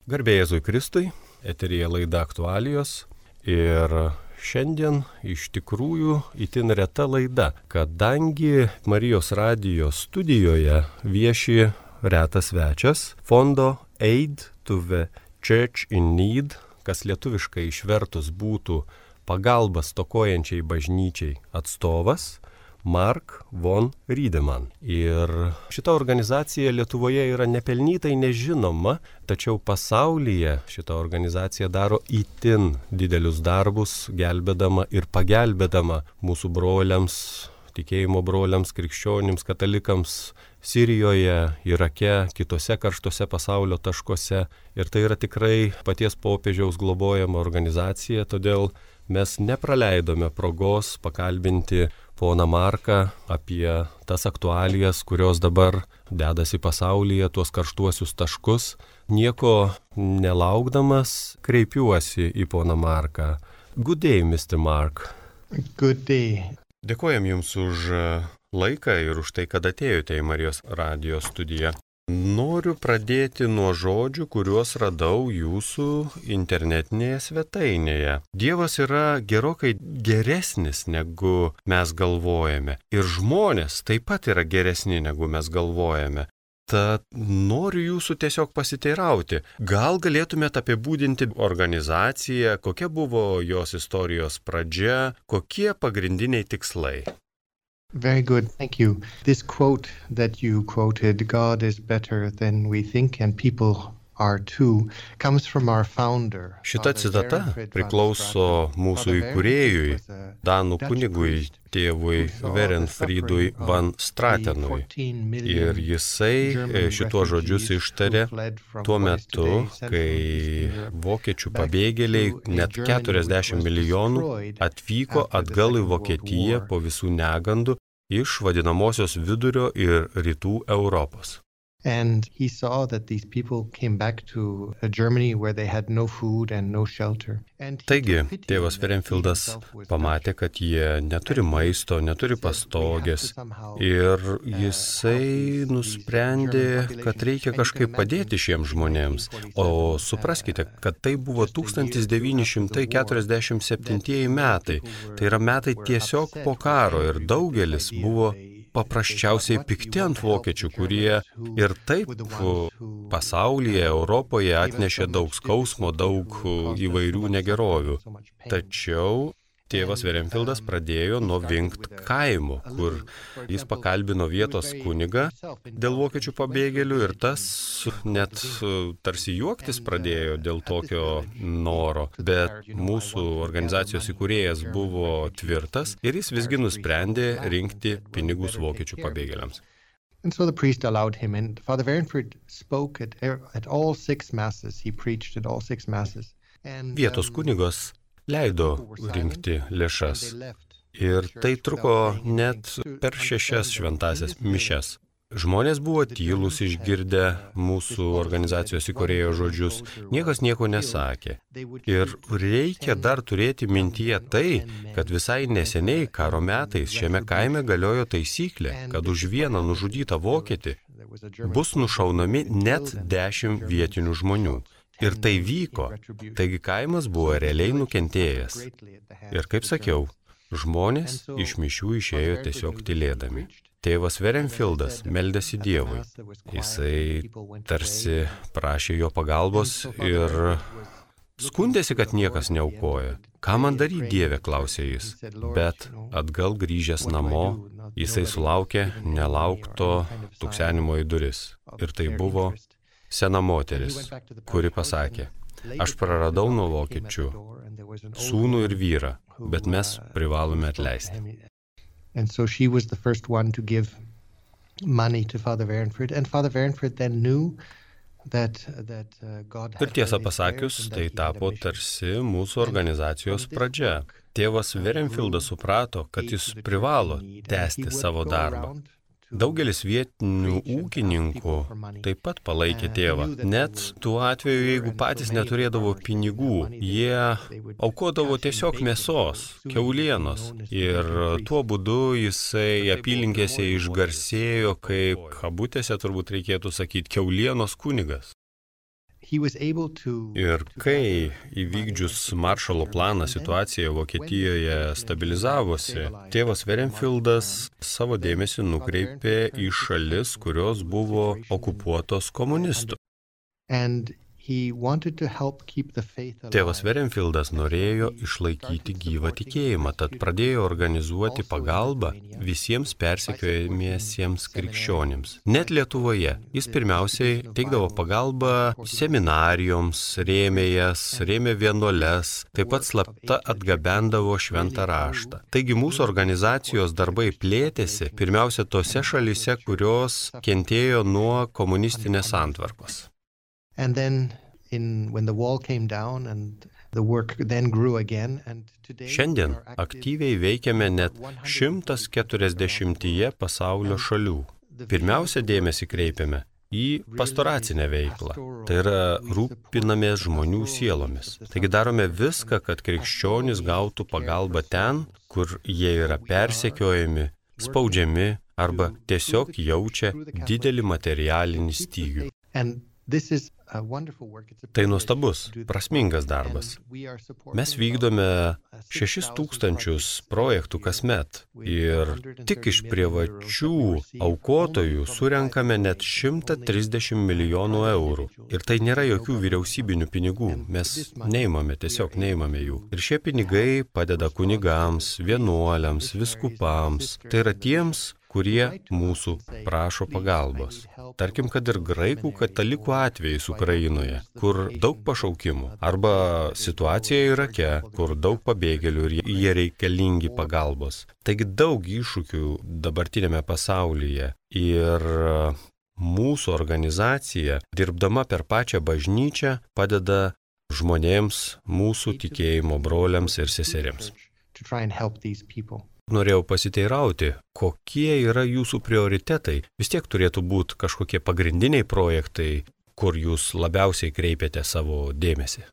Garbė Jėzui Kristui, eteryje laida Aktualijos ir šiandien iš tikrųjų itin reta laida, kadangi Marijos radijo studijoje vieši retas svečias, fondo Aid to the Church in Need, kas lietuviškai išvertus būtų pagalba stokojančiai bažnyčiai atstovas, Mark von Riedemann. Ir šita organizacija Lietuvoje yra nepelnytai nežinoma, tačiau pasaulyje šita organizacija daro itin didelius darbus, gelbėdama ir pagelbėdama mūsų broliams, tikėjimo broliams, krikščionims, katalikams Sirijoje, Irake, kitose karštose pasaulio taškuose. Ir tai yra tikrai paties popiežiaus globojama organizacija, todėl mes nepraleidome progos pakalbinti poną Marką apie tas aktualijas, kurios dabar dedasi pasaulyje, tuos karštuosius taškus. Nieko nelaukdamas kreipiuosi į poną Marką. Good day, Mr. Mark. Good day. Dėkojam Jums už laiką ir už tai, kad atėjote į Marijos radijo studiją. Noriu pradėti nuo žodžių, kuriuos radau jūsų internetinėje svetainėje. Dievas yra gerokai geresnis, negu mes galvojame. Ir žmonės taip pat yra geresni, negu mes galvojame. Tad noriu jūsų tiesiog pasiteirauti. Gal galėtumėte apibūdinti organizaciją, kokia buvo jos istorijos pradžia, kokie pagrindiniai tikslai? Very good, thank you. This quote that you quoted, God is better than we think and people are too, comes from our founder. Šita citata priklauso mūsų įkūrėjui, danų kunigui, tėvui Werenfriedui van Stratenui. Ir jisai šituos žodžius ištarė tuo metu, kai vokiečių pabėgėliai, net 40 milijonų, atvyko atgal į Vokietiją po visų negandų iš vadinamosios vidurio ir rytų Europos. And he saw that these people came back to Germany where they had no food and no shelter. Taigi, tėvas Werenfridas pamatė, kad jie neturi maisto, neturi pastogės ir jisai nusprendė, kad reikia kažkaip padėti šiems žmonėms. O supraskite, kad tai buvo 1947 metai. Tai yra metai tiesiog po karo ir daugelis buvo paprasčiausiai pikti ant vokiečių, kurie ir taip pasaulyje, Europoje atnešė daug skausmo, daug įvairių negerovių. Tačiau tėvas Werenfridas pradėjo nuo Vingt kaimo, kur jis pakalbino vietos kunigą dėl vokiečių pabėgėlių ir tas net tarsi juoktis pradėjo dėl tokio noro. Bet mūsų organizacijos įkūrėjas buvo tvirtas ir jis visgi nusprendė rinkti pinigus vokiečių pabėgėliams. And so the priest allowed him, and Father Werenfrid spoke at all 6 masses. He preached at all 6 masses. Vietos kunigas leido rinkti lėšas ir tai truko net per 6 šventąsias mišias. Žmonės buvo tylūs išgirdę mūsų organizacijos įkūrėjo žodžius, niekas nieko nesakė. Ir reikia dar turėti mintyje tai, kad visai neseniai karo metais šiame kaime galiojo taisyklė, kad už vieną nužudytą vokietį bus nušaunami net 10 vietinių žmonių. Ir tai vyko, taigi kaimas buvo realiai nukentėjęs. Ir kaip sakiau, žmonės iš mišių išėjo tiesiog tylėdami. Tėvas Werenfridas meldėsi Dievui. Jisai tarsi prašė jo pagalbos ir skundėsi, kad niekas neaukoja. Ką man daryti, Dieve, klausė jis. Bet atgal grįžęs namo, jisai sulaukė nelaukto tuksenimo į duris. Ir tai buvo sena moteris, kuri pasakė, aš praradau nuo vokiečių sūnų ir vyrą, bet mes privalome atleisti. And so she was the first one to give money to Father Werenfrid, and Father Werenfrid then knew that God had... Ir tiesą pasakius, tai tapo tarsi mūsų organizacijos pradžia. Tėvas Werenfridas suprato, kad jis privalo tęsti savo darbą. Daugelis vietinių ūkininkų taip pat palaikė tėvą. Net tuo atveju, jeigu patys neturėdavo pinigų, jie aukodavo tiesiog mėsos, kiaulienos. Ir tuo būdu jisai apylinkėse išgarsėjo, kaip kabutėse turbūt reikėtų sakyti, kiaulienos kunigas. Ir kai įvykdžius Maršalo planą situacija Vokietijoje stabilizavosi, tėvas Werenfieldas savo dėmesį nukreipė į šalis, kurios buvo okupuotos komunistų. Tėvas Werenfieldas norėjo išlaikyti gyvą tikėjimą, tad pradėjo organizuoti pagalbą visiems persekiojamiesiems krikščionims. Net Lietuvoje jis pirmiausiai teikdavo pagalbą seminarijoms, rėmė vienuoles, taip pat slapta atgabendavo šventą raštą. Taigi mūsų organizacijos darbai plėtėsi pirmiausia tose šalyse, kurios kentėjo nuo komunistinės santvarkos. And then when the wall came down and the work then grew again, and today Šiandien aktyviai veikiame net 140 pasaulio šalių. Pirmiausia dėmesį kreipiame į pastoracinę veiklą. Tai yra rūpinamės žmonių sielomis. Taigi darome viską, kad krikščionys gautų pagalbą ten, kur jie yra persekiojami, spaudžiami arba tiesiog jaučia didelį materialinį stygių. Tai nuostabus, prasmingas darbas. Mes vykdome 6,000 projektų kasmet ir tik iš privačių aukotojų surenkame net 130 milijonų eurų. Ir tai nėra jokių vyriausybinių pinigų, mes tiesiog neimame jų. Ir šie pinigai padeda kunigams, vienuoliams, viskupams, tai yra tiems, kurie mūsų prašo pagalbos. Tarkim, kad ir graikų katalikų atvejais Ukrainoje, kur daug pašaukimų, arba situacija Irake, kur daug pabėgėlių ir jie reikalingi pagalbos. Taigi daug iššūkių dabartinėme pasaulyje ir mūsų organizacija, dirbdama per pačią bažnyčią, padeda žmonėms, mūsų tikėjimo broliams ir seseriams. Norėjau pasiteirauti, kokie yra jūsų prioritetai. Vis tiek turėtų būti kažkokie pagrindiniai projektai, kur jūs labiausiai kreipiate savo dėmesį.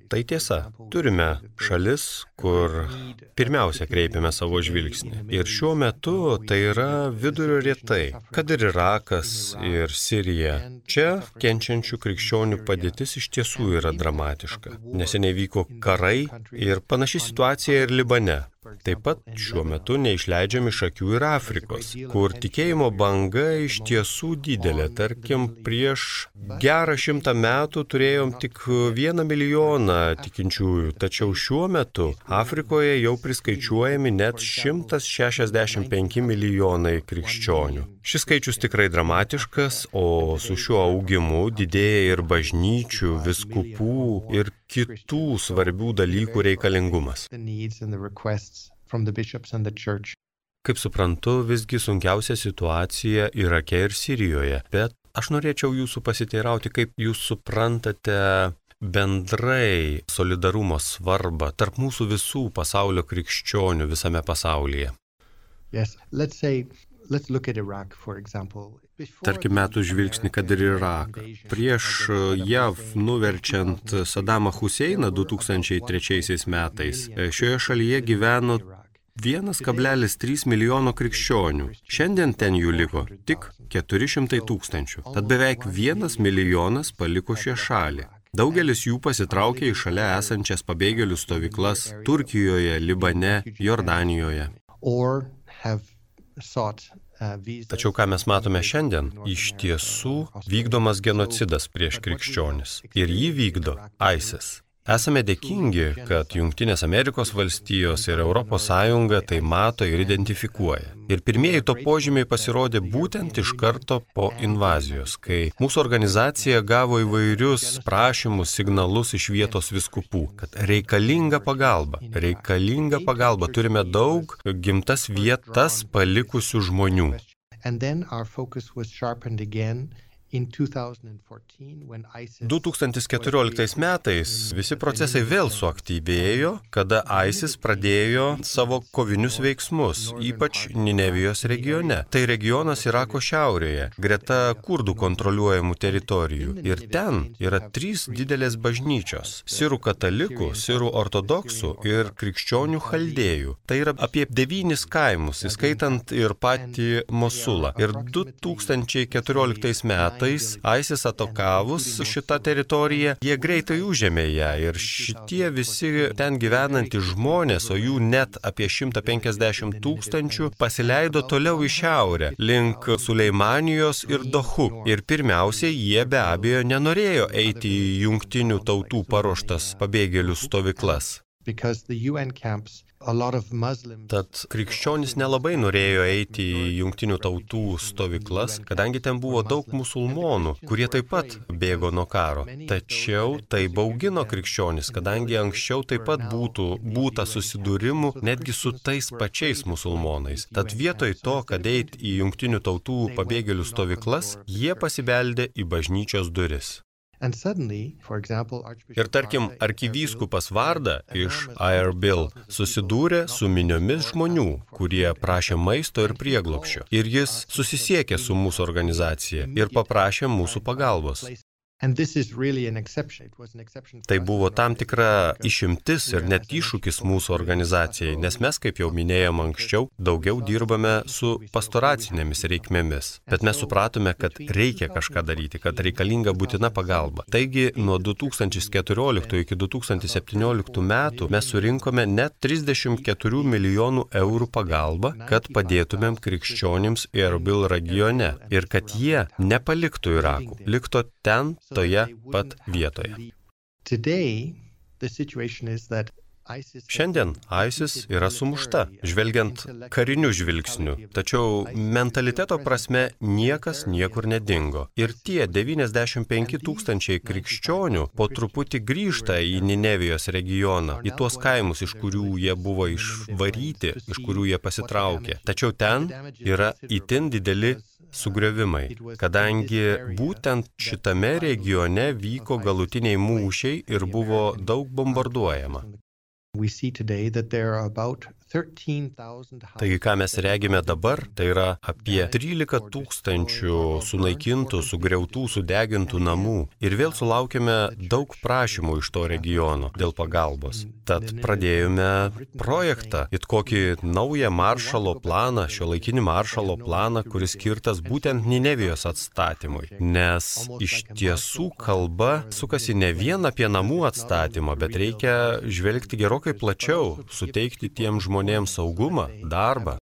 Tai tiesa, turime šalis, kur pirmiausia kreipiame savo žvilgsnį. Ir šiuo metu tai yra vidurio rytai, kad ir Irakas, ir Sirija. Čia kenčiančių krikščionių padėtis iš tiesų yra dramatiška. Neseniai vyko karai ir panaši situacija ir Libane. Taip pat šiuo metu neišleidžiami iš akių ir Afrikos, kur tikėjimo banga iš tiesų didelė. Tarkim, prieš gerą 100 metų turėjom tik 1 milijoną tikinčiųjų, tačiau šiuo metu Afrikoje jau priskaičiuojami net 165 milijonai krikščionių. Šis skaičius tikrai dramatiškas, o su šiuo augimu didėja ir bažnyčių, viskupų ir kitų svarbių dalykų reikalingumas. Kaip suprantu, visgi sunkiausia situacija Irake ir Sirijoje, bet aš norėčiau jūsų pasiteirauti, kaip jūs suprantate bendrai solidarumo svarbą tarp mūsų visų pasaulio krikščionių visame pasaulyje. Tarkim, metų žvilgsnį, kad ir Iraką. Prieš JAV nuverčiant Sadamą Huseiną 2003 metais, šioje šalyje gyveno 1,3 milijono krikščionių. Šiandien ten jų liko tik 400 tūkstančių. Tad beveik 1 milijonas paliko šią šalį. Daugelis jų pasitraukė į šalia esančias pabėgėlių stovyklas Turkijoje, Libane, Jordanijoje. Tačiau ką mes matome šiandien, iš tiesų vykdomas genocidas prieš krikščionis. Ir jį vykdo ISIS. Esame dėkingi, kad Jungtinės Amerikos valstijos ir Europos Sąjunga tai mato ir identifikuoja. Ir pirmieji to požymiai pasirodė būtent iš karto po invazijos, kai mūsų organizacija gavo įvairius prašymus, signalus iš vietos viskupų, kad reikalinga pagalba, turime daug gimtas vietas palikusių žmonių. 2014 metais visi procesai vėl suaktyvėjo, kada ISIS pradėjo savo kovinius veiksmus, ypač Ninevijos regione. Tai regionas Irako šiaurėje, greta kurdų kontroliuojamų teritorijų. Ir ten yra 3 didelės bažnyčios – sirų katalikų, sirų ortodoksų ir krikščionių chaldėjų. Tai yra apie 9 kaimus, įskaitant ir patį Mosulą. Ir 2014 metais ISIS atakavus šitą teritoriją, jie greitai užėmė ją ir šitie visi ten gyvenantys žmonės, o jų net apie 150 000, pasileido toliau į šiaurę, link Suleimanijos ir Dohu. Ir pirmiausiai, jie be abejo nenorėjo eiti į jungtinių tautų paruoštas pabėgėlių stovyklas. Tad krikščionys nelabai norėjo eiti į jungtinių tautų stovyklas, kadangi ten buvo daug musulmonų, kurie taip pat bėgo nuo karo. Tačiau tai baugino krikščionys, kadangi anksčiau taip pat būta susidūrimų netgi su tais pačiais musulmonais. Tad vietoj to, kad eiti į jungtinių tautų pabėgėlių stovyklas, jie pasibeldė į bažnyčios duris. Ir tarkim, arkivyskupas Varda iš Erbil susidūrė su miniomis žmonių, kurie prašė maisto ir prieglobsčio. Ir jis susisiekė su mūsų organizacija ir paprašė mūsų pagalbos. Tai buvo tam tikra išimtis ir net iššūkis mūsų organizacijai, nes mes, kaip jau minėjom anksčiau, daugiau dirbame su pastoracinėmis reikmėmis. Bet mes supratome, kad reikia kažką daryti, kad reikalinga būtina pagalba. Taigi, nuo 2014 iki 2017 metų mes surinkome net 34 milijonų eurų pagalbą, kad padėtumėm krikščionims Erbil regione ir kad jie nepaliktų Irakų, liktų ten, toje pat vietoje. Šiandien ISIS yra sumušta, žvelgiant kariniu žvilgsniu, tačiau mentaliteto prasme niekas niekur nedingo. Ir tie 95 000 krikščionių po truputį grįžta į Ninevijos regioną, į tuos kaimus, iš kurių jie buvo išvaryti, iš kurių jie pasitraukė. Tačiau ten yra itin dideli sugriovimai, kadangi būtent šitame regione vyko galutiniai mūšiai ir buvo daug bombarduojama. Taigi, ką mes regime dabar, tai yra apie 13 000 sunaikintų, sugriautų, sudegintų namų. Ir vėl sulaukėme daug prašymų iš to regiono dėl pagalbos. Tad pradėjome projektą, it kokį naują maršalo planą, šiuolaikinį maršalo planą, kuris skirtas būtent Ninevijos atstatymui. Nes iš tiesų kalba sukasi ne vien apie namų atstatymą, bet reikia žvelgti gerokai plačiau, suteikti tiem žmonėms saugumą, darbą.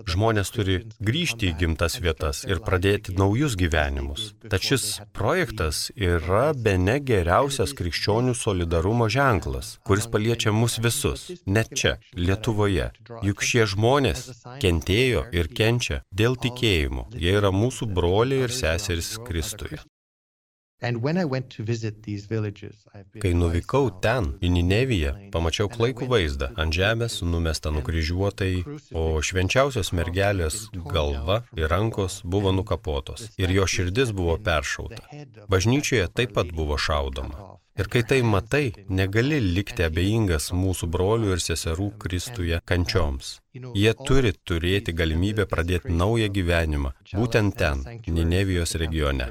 Žmonės turi grįžti į gimtas vietas ir pradėti naujus gyvenimus. Tad šis projektas yra bene geriausias krikščionių solidarumo ženklas, kuris paliečia mus visus, net čia, Lietuvoje. Juk šie žmonės kentėjo ir kenčia dėl tikėjimo. Jie yra mūsų broliai ir seserys Kristuje. Kai nuvykau ten, į Nineviją, pamačiau klaikų vaizdą. Ant žemės numesta nukryžiuotai, o švenčiausios mergelės galva ir rankos buvo nukapotos. Ir jo širdis buvo peršauta. Bažnyčioje taip pat buvo šaudoma. Ir kai tai matai, negali likti abejingas mūsų brolių ir seserų Kristuje kančioms. Jie turi turėti galimybę pradėti naują gyvenimą, būtent ten, Ninevijos regione.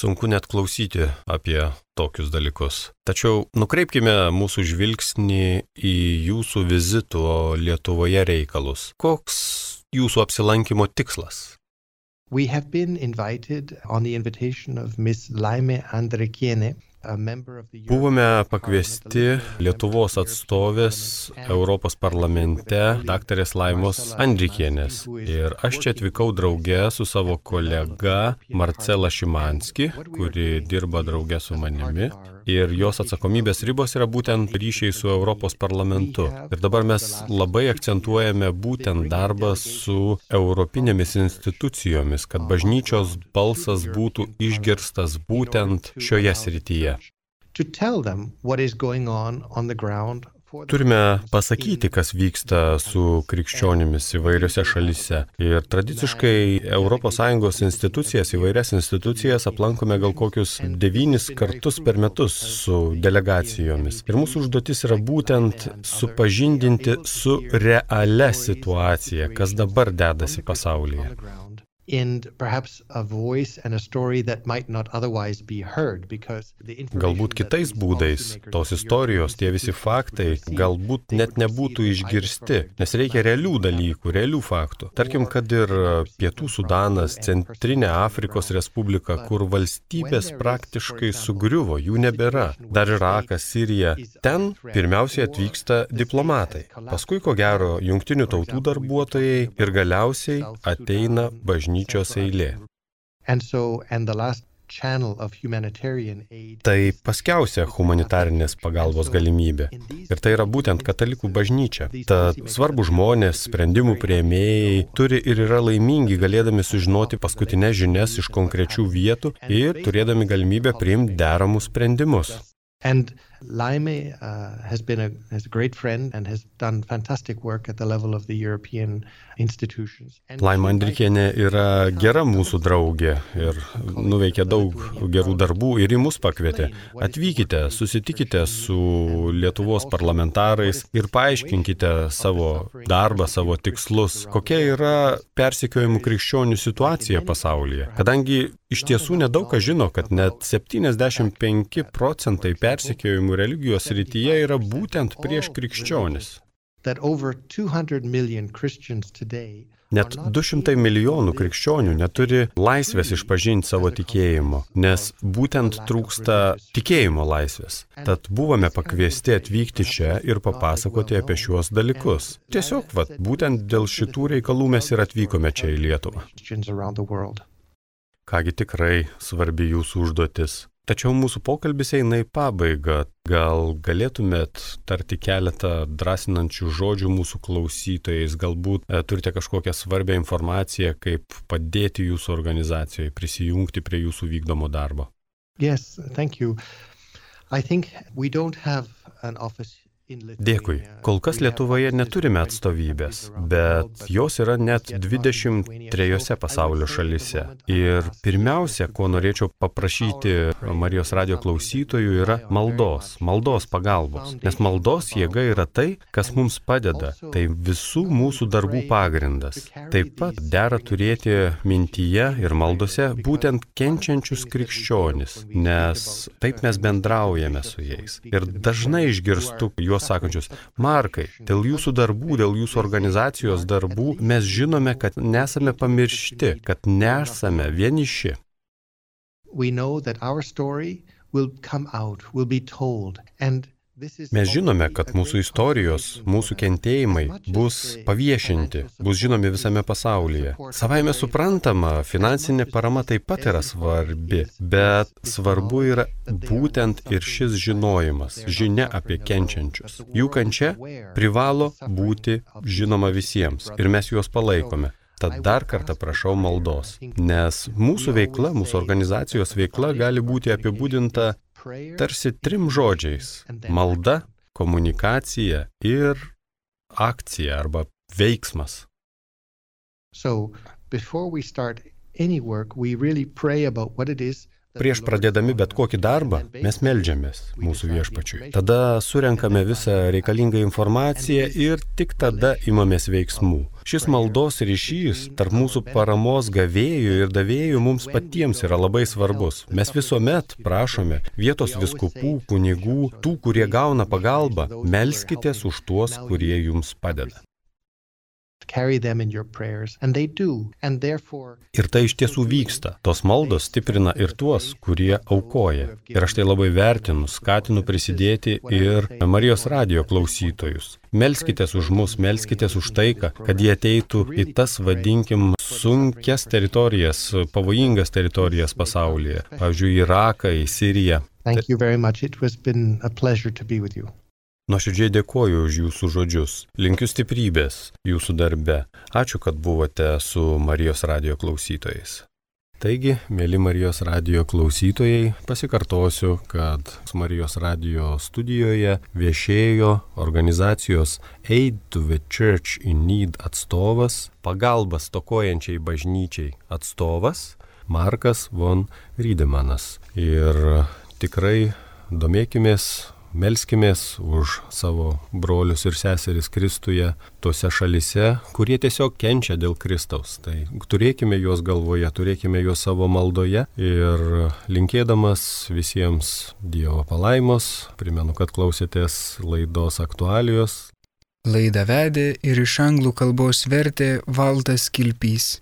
Sunku net klausyti apie tokius dalykus. Tačiau nukreipkime mūsų žvilgsnį į jūsų vizito Lietuvoje reikalus. Koks jūsų apsilankimo tikslas? We have been invited on the invitation of Miss Laime Andrikienė. Buvome pakviesti Lietuvos atstovės Europos parlamente daktarės Laimos Andrikienės. Ir aš čia atvykau drauge su savo kolega Marcela Šimanski, kuri dirba drauge su manimi. Ir jos atsakomybės ribos yra būtent ryšiai su Europos parlamentu. Ir dabar mes labai akcentuojame būtent darbą su europinėmis institucijomis, kad bažnyčios balsas būtų išgirstas būtent šioje srityje. Turime pasakyti, kas vyksta su krikščionimis įvairiose šalyse. Ir tradiciškai ES institucijas, įvairias institucijas aplankome gal kokius 9 kartus per metus su delegacijomis. Ir mūsų užduotis yra būtent supažindinti su realia situacija, kas dabar dedasi pasaulyje. Galbūt kitais būdais tos istorijos, tie visi faktai galbūt net nebūtų išgirsti, nes reikia realių dalykų, realių faktų. Tarkim, kad ir Pietų Sudanas, Centrinė Afrikos Respublika, kur valstybės praktiškai sugriuvo, jų nebėra. Dar Irakas, Sirija. Ten pirmiausiai atvyksta diplomatai. Paskui, ko gero, jungtinių tautų darbuotojai ir galiausiai ateina bažnyčios eilė. Tai paskiausia humanitarinės pagalbos galimybė. Ir tai yra būtent katalikų bažnyčia. Tad svarbu žmonės, sprendimų priėmėjai turi ir yra laimingi galėdami sužinoti paskutinės žinias iš konkrečių vietų ir turėdami galimybę priimti deramus sprendimus. And Laime has been a great friend and has done fantastic work at the level of the European institutions. Laima Andrikienė yra gera mūsų draugė ir nuveikė daug gerų darbų ir į mus pakvietė. Atvykite, susitikite su Lietuvos parlamentarais ir paaiškinkite savo darbą, savo tikslus, kokia yra persekiojimų krikščionių situacija pasaulyje. Kadangi iš tiesų nedaug kas žino, kad net 75% persekiojimų religijos srityje yra būtent prieš krikščionis. Net 200 milijonų krikščionių neturi laisvės išpažinti savo tikėjimo, nes būtent trūksta tikėjimo laisvės. Tad buvome pakviesti atvykti čia ir papasakoti apie šiuos dalykus. Tiesiog, būtent dėl šitų reikalų mes ir atvykome čia į Lietuvą. Kągi tikrai svarbi jūsų užduotis. Tačiau mūsų pokalbis eina į pabaigą. Gal galėtumėt tarti keletą drąsinančių žodžių mūsų klausytojais? Galbūt turite kažkokią svarbią informaciją, kaip padėti jūsų organizacijoje, prisijungti prie jūsų vykdomo darbo? Yes, thank you. I think we don't have an office. Dėkui. Kol kas Lietuvoje neturime atstovybės, bet jos yra net 23 pasaulio šalyse. Ir pirmiausia, ko norėčiau paprašyti Marijos radijo klausytojų, yra maldos pagalbos. Nes maldos jėga yra tai, kas mums padeda. Tai visų mūsų darbų pagrindas. Taip pat dera turėti mintyje ir maldose būtent kenčiančius krikščionis, nes taip mes bendraujame su jais. Ir dažnai išgirstu juos sakančius: Markai, dėl jūsų darbų, dėl jūsų organizacijos darbų mes žinome, kad nesame pamiršti, kad nesame vieniši. Mes žinome, kad mūsų istorijos, mūsų kentėjimai bus paviešinti, bus žinomi visame pasaulyje. Savaime suprantama, finansinė parama taip pat yra svarbi, bet svarbu yra būtent ir šis žinojimas, žinia apie kenčiančius. Jų kančia privalo būti žinoma visiems ir mes juos palaikome. Tad dar kartą prašau maldos, nes mūsų veikla, mūsų organizacijos veikla gali būti apibūdinta tarsi 3 žodžiais: malda, komunikacija ir akcija arba veiksmas. Prieš pradėdami bet kokį darbą, mes meldžiamės mūsų viešpačiui. Tada surenkame visą reikalingą informaciją ir tik tada imamės veiksmų. Šis maldos ryšys tarp mūsų paramos gavėjų ir davėjų mums patiems yra labai svarbus. Mes visuomet prašome vietos vyskupų, kunigų, tų, kurie gauna pagalbą, melskitės už tuos, kurie jums padeda. Ir tai iš tiesų vyksta. Tos maldos stiprina ir tuos, kurie aukoja. Ir aš tai labai vertinu, skatinu prisidėti ir Marijos radijo klausytojus. Melskitės už mus, melskitės už taiką, kad jie ateitų į tas, vadinkim, sunkias teritorijas, pavojingas teritorijas pasaulyje. Pavyzdžiui, Iraką, į Siriją. Thank you very much. It has been a pleasure to be with you. Nuoširdžiai dėkoju už jūsų žodžius. Linkiu stiprybės jūsų darbe. Ačiū, kad buvote su Marijos radijo klausytojais. Taigi, mėly Marijos radijo klausytojai, pasikartosiu, kad Marijos radijo studijoje viešėjo organizacijos Aid to the Church in Need atstovas, pagalbas stokojančiai bažnyčiai atstovas Markas von Riedemanas. Ir tikrai domėkimės, melskimės už savo brolius ir seseris Kristuje tose šalise, kurie tiesiog kenčia dėl Kristaus. Tai turėkime juos galvoje, turėkime juos savo maldoje ir linkėdamas visiems Dievo palaimos, primenu, kad klausėtės laidos aktualijos. Laidą vedė ir iš anglų kalbos vertė Valdas Kilpys.